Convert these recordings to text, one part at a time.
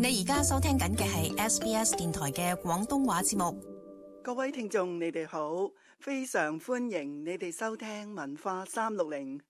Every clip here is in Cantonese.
你而家收聽緊嘅係 SBS 電台嘅廣東話節目。各位聽眾，你哋好，非常歡迎你哋收聽文化360。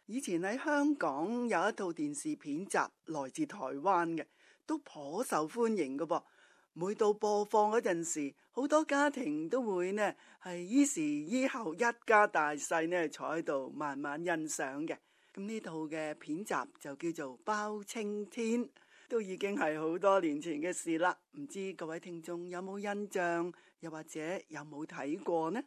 以前喺香港有一套電視片集來自台灣嘅，都頗受歡迎嘅噃。每到播放嗰陣時，好多家庭都會呢係依時依候，一家大細呢坐喺度慢慢欣賞嘅。咁呢套嘅片集就叫做《包青天》，都已經係好多年前嘅事啦。唔知各位聽眾有冇印象，又或者有冇睇過呢？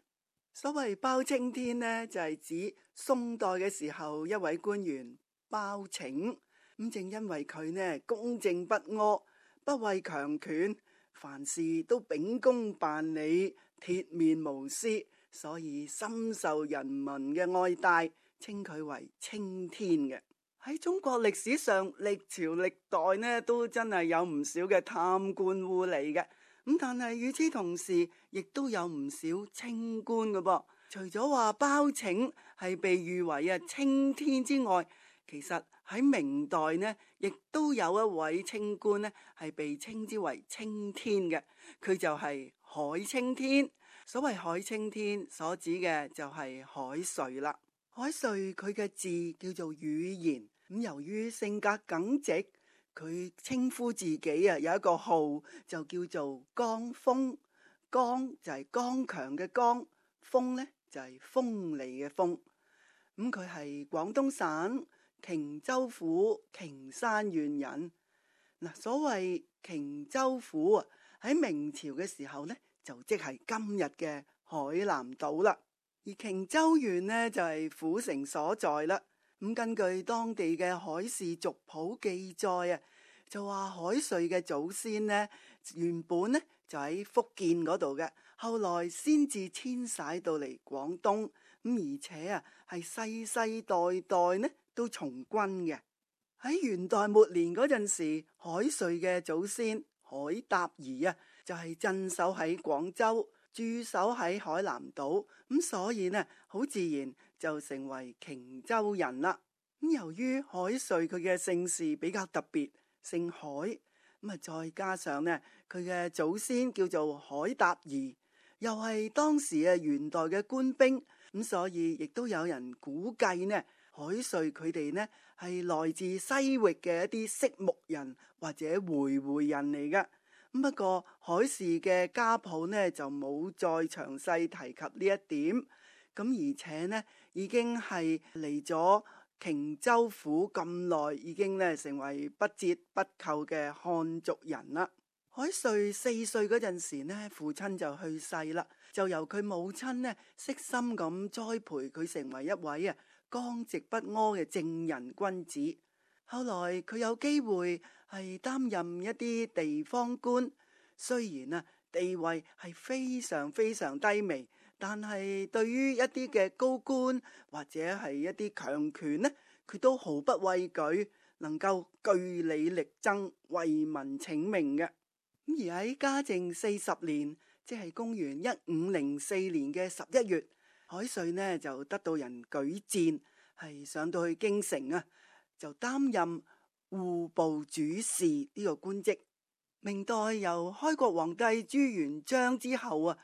所謂包青天呢，就係指宋代嘅時候一位官員包拯。咁正因為佢呢公正不阿，不畏強權，凡事都秉公辦理，鐵面無私，所以深受人民嘅愛戴，稱佢為青天嘅。喺中國歷史上，歷朝歷代呢都真係有唔少嘅貪官污吏嘅。咁但係與此同時，亦都有唔少清官嘅噃。除咗話包拯係被譽為青天之外，其實喺明代呢，亦都有一位清官呢係被稱之為青天嘅。佢就係海青天。所謂海青天，所指嘅就係海瑞啦。海瑞佢嘅字叫做宇賢。咁由於性格耿直，佢稱呼自己有一個號就叫做剛鋒。剛就係剛強嘅剛，鋒呢就係鋒利嘅鋒。咁佢係廣東省瓊州府瓊山縣人。嗱，所謂瓊州府喺明朝嘅時候呢，就即係今日嘅海南島啦。而瓊州縣呢，就係府城所在啦。咁根據當地嘅海事族譜記載就話海瑞嘅祖先呢，原本呢就喺福建嗰度嘅，後來先至遷徙到嚟廣東。咁而且係世世代代呢都從軍嘅。喺元代末年嗰陣時，海瑞嘅祖先海達兒就係鎮守喺廣州，駐守喺海南島。咁所以呢，好自然就成為瓊州人啦。咁由於海瑞佢嘅姓氏比較特別，姓海，咁再加上呢，佢嘅祖先叫做海達兒，又係當時元代嘅官兵，咁所以亦都有人估計呢，海瑞佢哋呢係來自西域嘅一啲色目人或者回人嚟㗎。不過海氏嘅家譜呢就冇再詳細提及呢一點。咁而且呢已經係嚟咗瓊州府咁耐，已經呢成為不折不扣嘅漢族人啦。海瑞4歲嗰陣時呢，父親就去世啦，就由佢母親呢悉心咁栽培佢，成為一位剛直不阿嘅正人君子。後來佢有機會係擔任一啲地方官，雖然地位係非常非常低微，但係對於一啲嘅高官或者係一啲強權呢，佢都毫不畏懼，能夠據理力爭，為民請命嘅。而喺嘉靖40年，即係公元1504年嘅11月，海瑞呢就得到人舉薦，係上到去京城就擔任戶部主事呢個官職。明代由開國皇帝朱元璋之後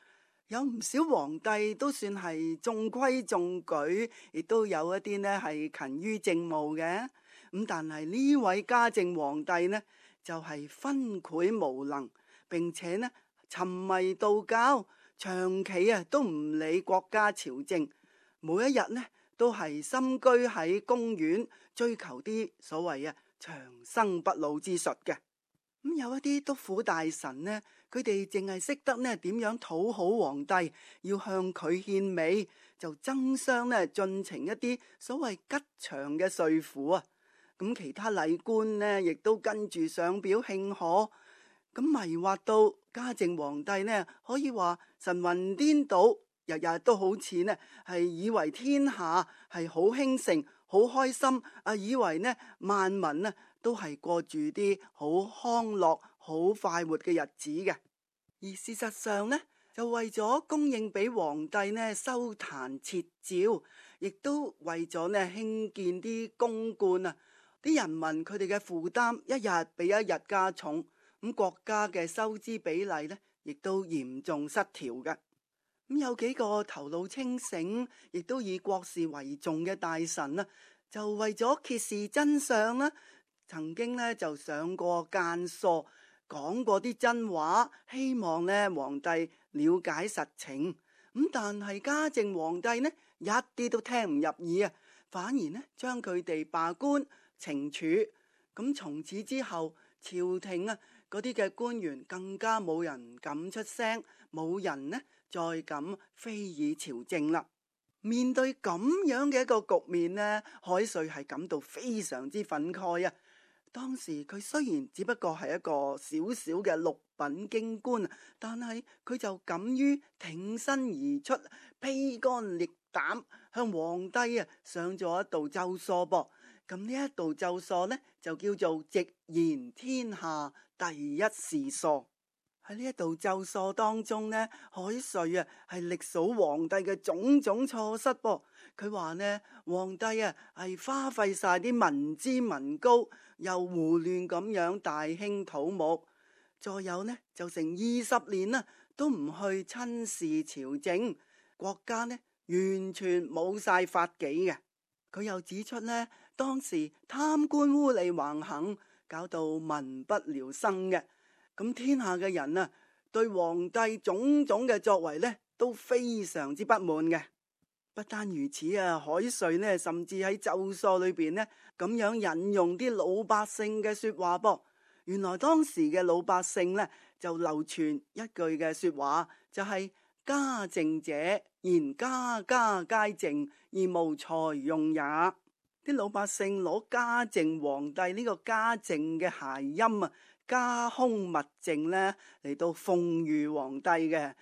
有唔少皇帝都算係中規中矩，亦都有一啲呢係勤於政務嘅。咁但係呢位嘉靖皇帝呢，就係昏聵無能，並且呢沉迷道教，長期都唔理國家朝政，每一日呢都係深居喺公園，追求啲所謂長生不老之術嘅。咁有一啲督府大臣呢，佢哋淨係識得呢點樣討好皇帝，要向佢獻媚，就爭相呢進呈一啲所謂吉祥嘅說符咁其他禮官呢，亦都跟住上表慶賀，咁迷惑到嘉靖皇帝呢，可以話神魂顛倒，日日都好似呢係以為天下係好興盛、好開心，以為呢萬民呢都係過住啲好康樂、好快活嘅日子嘅。而事實上呢，就為咗供應俾皇帝呢修壇設詔，亦都為咗呢興建啲宮觀啲人民佢哋嘅負擔一日比一日加重，咁國家嘅收支比例呢，亦都嚴重失調嘅。咁有幾個頭腦清醒，亦都以國事為重嘅大臣啦，就為咗揭示真相啦，曾經呢就上過諫疏，講過啲真話，希望呢皇帝了解實情。咁但係嘉靖皇帝呢，一啲都聽唔入耳啊，反而呢將佢哋罷官懲處。咁從此之後，朝廷啊嗰啲嘅官員更加冇人敢出聲，冇人呢再敢非議朝政啦。面對咁樣嘅一個局面呢，海瑞係感到非常之憤慨啊！當時佢雖然只不過係一個小小嘅六品京官，但係佢就敢於挺身而出，披肝裂膽向皇帝上咗一道奏疏噃。咁呢一道奏疏呢，就叫做直言天下第一事疏。喺呢一道奏疏當中呢，海瑞係歷數皇帝嘅種種錯失噃。佢話呢，皇帝係花費晒啲民脂民膏，又胡亂咁樣大興土木，再有呢就成20年啦，都唔去親視朝政，國家呢完全冇晒法紀嘅。佢又指出呢，當時貪官污吏橫行，搞到民不聊生嘅。咁天下嘅人啊，對皇帝種種嘅作為呢，都非常之不滿嘅。不單如此啊，海瑞呢，甚至喺奏疏裏邊呢，咁樣引用啲老百姓嘅說話噃。原來當時嘅老百姓呢，就流傳一句嘅說話，就係家政者，言家家皆政，而無財用也。啲老百姓攞嘉靖皇帝呢個家政嘅諧音啊，家空物淨呢嚟到諷喻皇帝嘅。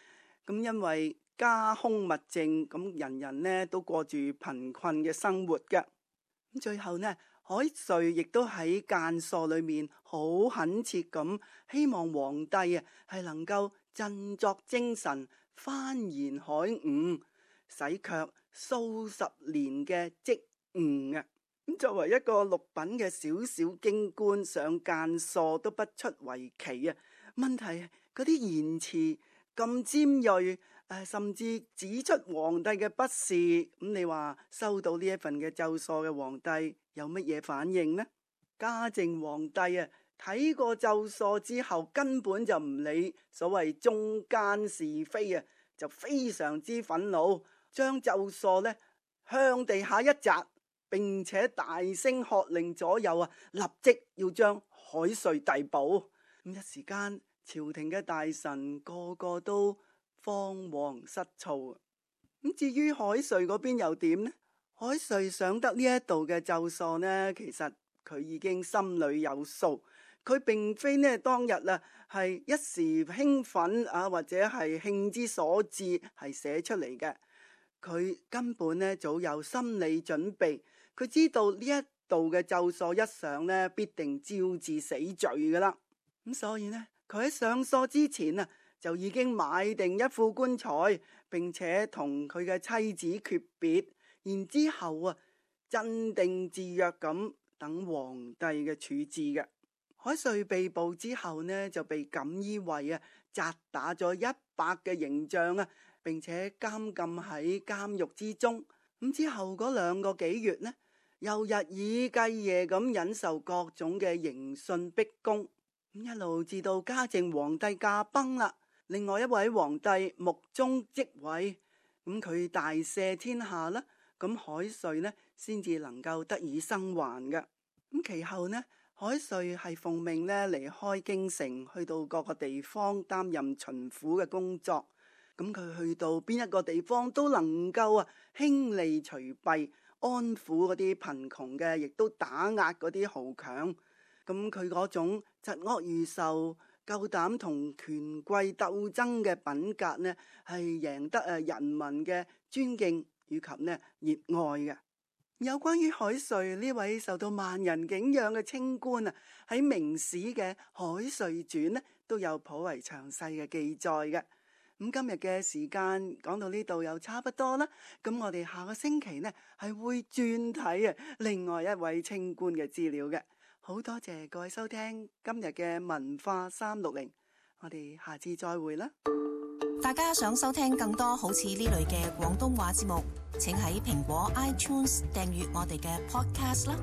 咁因為家空物淨，咁人人呢都過住貧困嘅生活嘅。咁最後呢，海瑞亦都喺諫疏裏面好懇切咁希望皇帝係能夠振作精神，幡然海悟，洗卻數十年嘅積誤嘅。咁作為一個六品嘅小小京官，上諫疏都不出為奇啊！問題嗰啲言辭咁尖銳，甚至指出皇帝嘅不是，咁你話收到呢一份嘅奏疏嘅皇帝有乜嘢反應呢？嘉靖皇帝睇過奏疏之後，根本就唔理所謂忠奸是非啊，就非常之憤怒，將奏疏呢向地下一砸，並且大聲喝令左右立即要將海瑞逮捕。咁一時間，朝廷嘅大臣個個都慌惶失措。咁至於海瑞嗰邊又點呢？海瑞想得呢一度嘅奏疏呢，其實佢已經心裏有數。佢並非呢當日係一時興奮或者係興之所至係寫出嚟嘅。佢根本呢早有心理準備。佢知道呢一度嘅奏疏一上呢，必定招致死罪噶啦。咁所以呢，佢喺上疏之前就已經買定一副棺材，並且同佢嘅妻子訣別，然之後鎮定自若咁等皇帝嘅處置嘅。海瑞被捕之後呢，就被錦衣衛責打咗100嘅刑杖並且監禁喺監獄之中。咁之後嗰2個幾月呢，又日以繼夜咁忍受各種嘅刑訊逼供，咁一路至到嘉靖皇帝駕崩啦。另外一位皇帝穆宗即位，咁佢大赦天下啦，咁海瑞呢先至能夠得以生還嘅。咁其後呢，海瑞係奉命呢離開京城，去到各個地方擔任巡撫嘅工作。咁佢去到邊一個地方都能夠興利除弊，安撫嗰啲貧窮嘅，亦都打壓嗰啲豪強。咁佢嗰種疾惡如仇、夠膽同權貴鬥爭嘅品格呢，係贏得人民嘅尊敬以及呢熱愛嘅。有關於海瑞呢位受到萬人敬仰嘅清官喺明史嘅《海瑞傳》呢都有頗為詳細嘅記載嘅。咁今日嘅時間講到呢度又差不多啦，咁我哋下個星期呢係會轉睇另外一位清官嘅資料嘅。好多謝各位收聽今日嘅文化360，我哋下次再會啦。大家想收聽更多好似呢類嘅廣東話節目，請喺蘋果 iTunes 訂閱我哋嘅 podcast 啦。